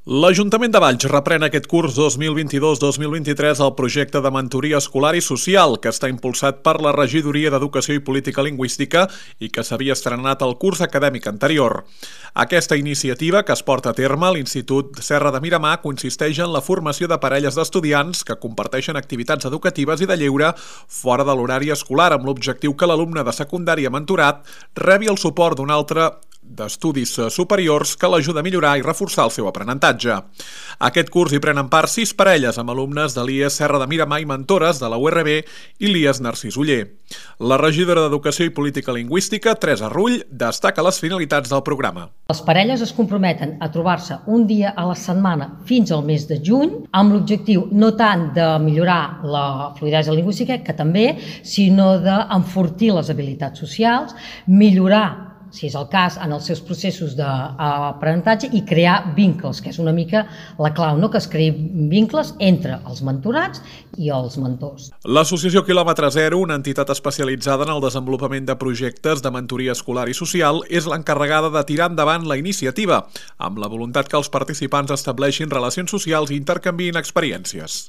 L'Ajuntament de Valls reprèn aquest curs 2022-2023 el projecte de mentoria escolar i social que està impulsat per la Regidoria d'Educació i Política Lingüística i que s'havia estrenat el curs acadèmic anterior. Aquesta iniciativa, que es porta a terme a l'Institut Serra de Miramar, consisteix en la formació de parelles d'estudiants que comparteixen activitats educatives i de lleure fora de l'horari escolar, amb l'objectiu que l'alumne de secundària mentorat rebi el suport d'un altre d'estudis superiors que l'ajuda a millorar i reforçar el seu aprenentatge. Aquest curs hi prenen part 6 parelles amb alumnes de l'IES Serra de Miramar i mentores de la URB i l'IES Narcís Oller. La regidora d'Educació i Política Lingüística, Teresa Rull, destaca les finalitats del programa. Les parelles es comprometen a trobar-se un dia a la setmana fins al mes de juny amb l'objectiu no tant de millorar la fluïdesa lingüística, que també, sinó d'enfortir les habilitats socials, millorar, si és el cas, en els seus processos d'aprenentatge i crear vincles, que és una mica la clau, no? Que es creïn vincles entre els mentorats i els mentors. L'Associació Quilòmetre Zero, una entitat especialitzada en el desenvolupament de projectes de mentoria escolar i social, és l'encarregada de tirar endavant la iniciativa, amb la voluntat que els participants estableixin relacions socials i intercanviïn experiències.